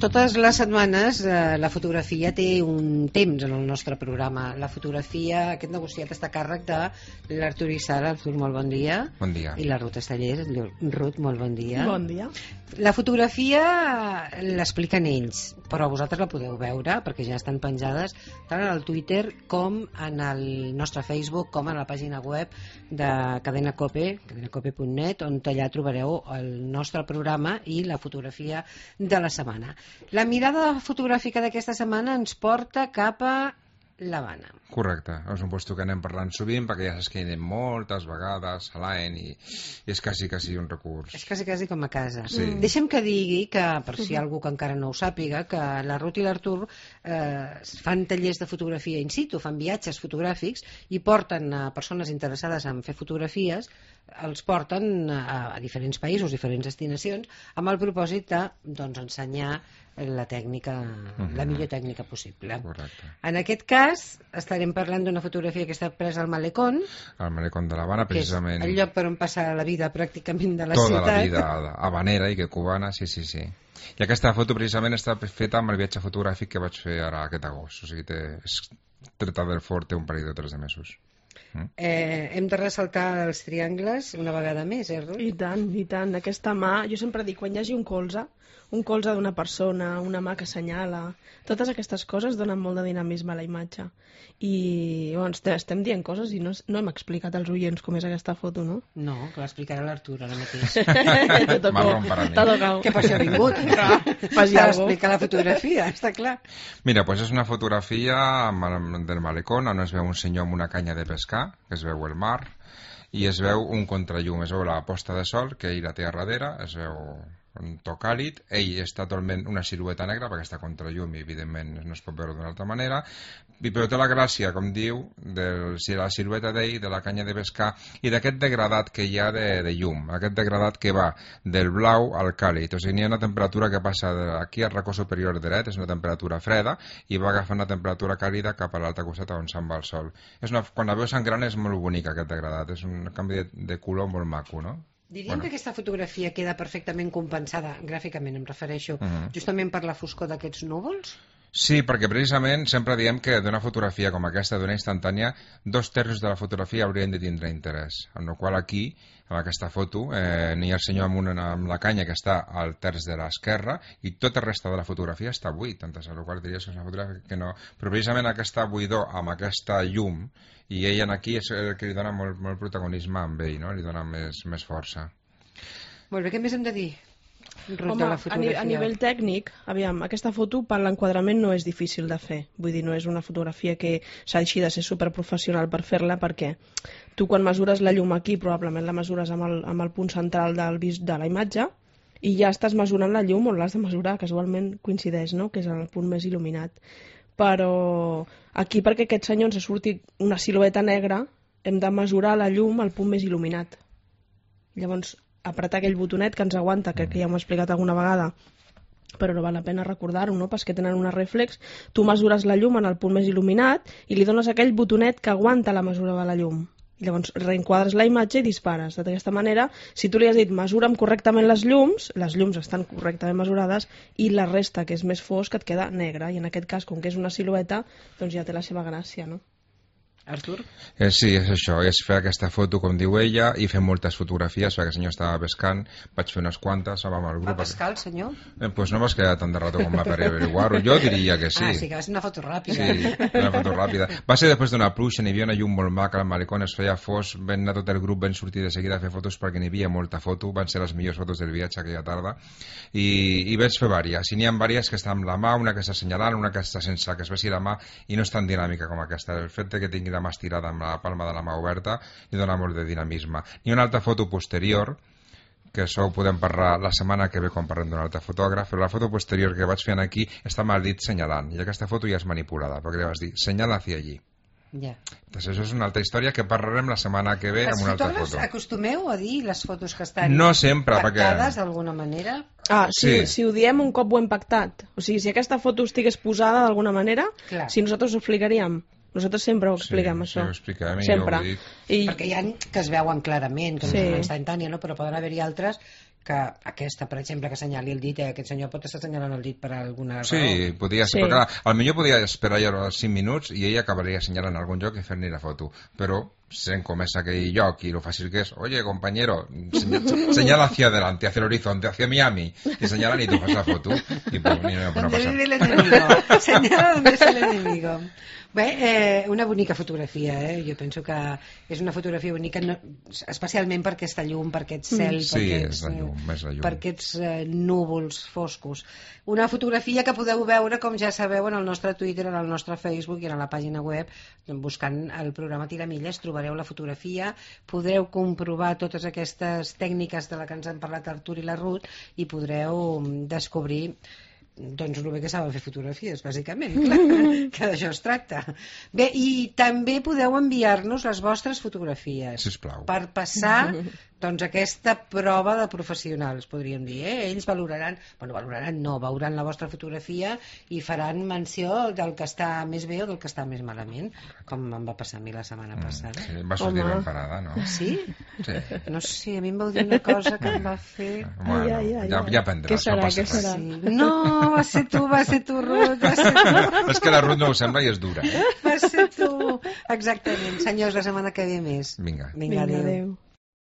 totes les setmanes la fotografia té un temps en el nostre programa. La fotografia, aquest negociat està a càrrec de l'Artur Issara. Artur, molt bon dia. Bon dia. I la Ruth Estallés. Ruth, molt bon dia. Bon dia. La fotografia l'expliquen ells, però vosaltres la podeu veure perquè ja estan penjades tant en el Twitter com en el nostre Facebook, com en la pàgina web de Cadena Cope, cadenacope.net, on allà trobareu el nostre programa i la fotografia de la setmana. La mirada fotogràfica d'aquesta setmana ens porta cap a l'Havana. Correcte, és un lloc que anem parlant sovint perquè ja saps que hi anem moltes vegades a l'any i és quasi un recurs. És quasi com a casa. Sí. Deixa'm que digui que, per si hi ha algú que encara no ho sàpiga, que la Ruth i l'Artur fan tallers de fotografia in situ, fan viatges fotogràfics i porten a persones interessades en fer fotografies, els porten a diferents països, diferents destinacions, amb el propòsit de, doncs, ensenyar la tècnica, la millor tècnica possible. Correcte. En aquest cas estarem parlant d'una fotografia que està presa al Malecón, Al Malecón de l'Havana, precisament. que és el lloc per on passa la vida pràcticament de la tota ciutat. la vida habanera i que cubana, sí. I aquesta foto precisament està feta amb el viatge fotogràfic que vaig fer ara aquest agost, o sigui, és treta del fort, té un parell de 3 de mesos. Hem de ressaltar els triangles una vegada més, Ruth? I tant. Aquesta mà, jo sempre dic, quan hi hagi un colze d'una persona, una mà que assenyala, totes aquestes coses donen molt de dinamisme a la imatge. I bueno, estem dient coses i no hem explicat als oients com és aquesta foto, no? No, que l'explicarà l'Artur ara mateix. Marrón per a mi. T'ha tocado. Que per això ha vingut, Faci per algo. explicar la fotografia, està clar. Mira, doncs és una fotografia del Malecón on es veu un senyor amb una canya de pescar, que es veu el mar, i es veu un contrallum, es veu la posta de sol que ell la té a darrere, es veu un to càlid, ell està totalment una silueta negra perquè està contra llum i evidentment no es pot veure d'una altra manera, però té la gràcia, com diu, de la silueta d'ell, de la canya de pescar i d'aquest degradat que hi ha de llum, aquest degradat que va del blau al càlid, o sigui, hi ha una temperatura que passa aquí al racó superior dret, és una temperatura freda i va agafant una temperatura càlida cap a l'altre costat on se'n va el sol. Quan la veus en gran és molt bonic aquest degradat, és un canvi de color molt maco, no? Diríem que aquesta fotografia queda perfectament compensada, gràficament em refereixo, justament per la foscor d'aquests núvols? Sí, perquè precisament sempre diem que d'una fotografia com aquesta, d'una instantània, 2/3 de la fotografia haurien de tindre interès, amb la qual aquí, amb aquesta foto, n'hi ha el senyor amb la canya que està al terç de l'esquerra i tota la resta de la fotografia està buit, amb la qual diries que és una fotografia que no... Però precisament aquesta buidor amb aquesta llum i ell aquí és el que li dona molt protagonisme amb ell, no? Li dona més força. Molt bé, què més hem de dir? Home, a nivell tècnic, aviam, aquesta foto per l'enquadrament no és difícil de fer. Vull dir, no és una fotografia que s'hagi de ser superprofessional per fer-la, perquè tu quan mesures la llum aquí probablement la mesures amb el punt central de la imatge i ja estàs mesurant la llum on l'has de mesurar, casualment coincideix, no? Que és el punt més il·luminat. Però aquí, perquè aquest senyor ens surti una silueta negra, hem de mesurar la llum al punt més il·luminat. Llavors, apretar aquell botonet que ens aguanta, crec que ja m'ho he explicat alguna vegada, però no val la pena recordar-ho, no? Perquè tenen una reflex, tu mesures la llum en el punt més il·luminat i li dones aquell botonet que aguanta la mesura de la llum. Llavors reenquadres la imatge i dispares. D'aquesta manera, si tu li has dit mesura'm correctament les llums estan correctament mesurades i la resta, que és més fosc, et queda negra. I en aquest cas, com que és una silueta, doncs ja té la seva gràcia, no? Artur? Sí, és això, és fer aquesta foto com diu ella i fer moltes fotografies perquè el senyor estava pescant, vaig fer unes quantes amb el grup. Va pescar el senyor? Pues no vas quedar tant de rato com va per averiguar-ho, jo diria que sí. Sí que va ser una foto ràpida. Sí, una foto ràpida. Va ser després d'una pluja, n'hi havia una llum molt maca, al Malecón es feia fos, vam anar tot el grup, vam sortir de seguida a fer fotos perquè n'hi havia molta foto, van ser les millors fotos del viatge aquella tarda i vaig fer vàries, i n'hi ha vàries que estan amb la mà, una que està assenyalant, una que està sense que es vegi la mà i no és tan dinàmica com aquesta. El fet que tingui la mà estirada amb la palma de la mà oberta li dona molt de dinamisme. Ni una altra foto posterior, que això ho podem parlar la setmana que ve quan parlem d'un altre fotògraf, però la foto posterior que vaig fent aquí està amb el dit senyalant, i aquesta foto ja és manipulada, perquè li vas dir, senyala hacia allí. Ja. Entonces, això és una altra història que parlarem la setmana que ve amb una altra foto. Els fotògrafs acostumeu a dir les fotos que estan no sempre, pactades d'alguna manera? Si ho diem un cop ho hem pactat. O sigui, si aquesta foto estigués posada d'alguna manera, clar. Si nosaltres ho explicaríem. Nosaltres sempre ho expliquem, això. Sí, ho expliquem. Sempre. Perquè hi ha que es veuen clarament, que no són instantànies, no? Però poden haver-hi altres que aquesta, per exemple, que assenyali el dit, aquest senyor pot estar assenyalant el dit per alguna raó. Sí, podria ser, perquè potser podia esperar ja 5 minuts i ell acabaria assenyalant algun lloc i fer-ne la foto, però sent com és aquell lloc i lo fàcil que és, oye, compañero, señala hacia adelante, hacia el horizonte, hacia Miami, i señalan i tu fas la foto i pues, no Donde passa. vive el enemigo. Senyala donde es el enemigo. Bé, una bonica fotografia, jo penso que és una fotografia bonica, especialment per aquesta llum, per aquest cel, per aquests núvols foscos. Una fotografia que podeu veure, com ja sabeu, en el nostre Twitter, en el nostre Facebook i en la pàgina web, buscant el programa Tiramilles, trobareu la fotografia, podreu comprovar totes aquestes tècniques de la que ens han parlat Artur i la Ruth i podreu descobrir doncs el bé que saben fer fotografies, bàsicament, clar, que d'això es tracta. Bé, i també podeu enviar-nos les vostres fotografies. Sisplau. Per passar doncs aquesta prova de professionals, podríem dir, ells valoraran, veuran la vostra fotografia i faran menció del que està més bé o del que està més malament, com em va passar a mi la setmana passada. Sí, va sortir ben parada, no? Sí? Sí. No sé, a mi em vau dir una cosa que em va fer... Bueno, ja aprendràs, no passa res. Sí. No, va ser tu, Ruth, va ser tu. És que la Ruth no ho sembla i és dura. Va ser tu. Exactament. Senyors, la setmana que ve més. Vinga. Vinga, adéu.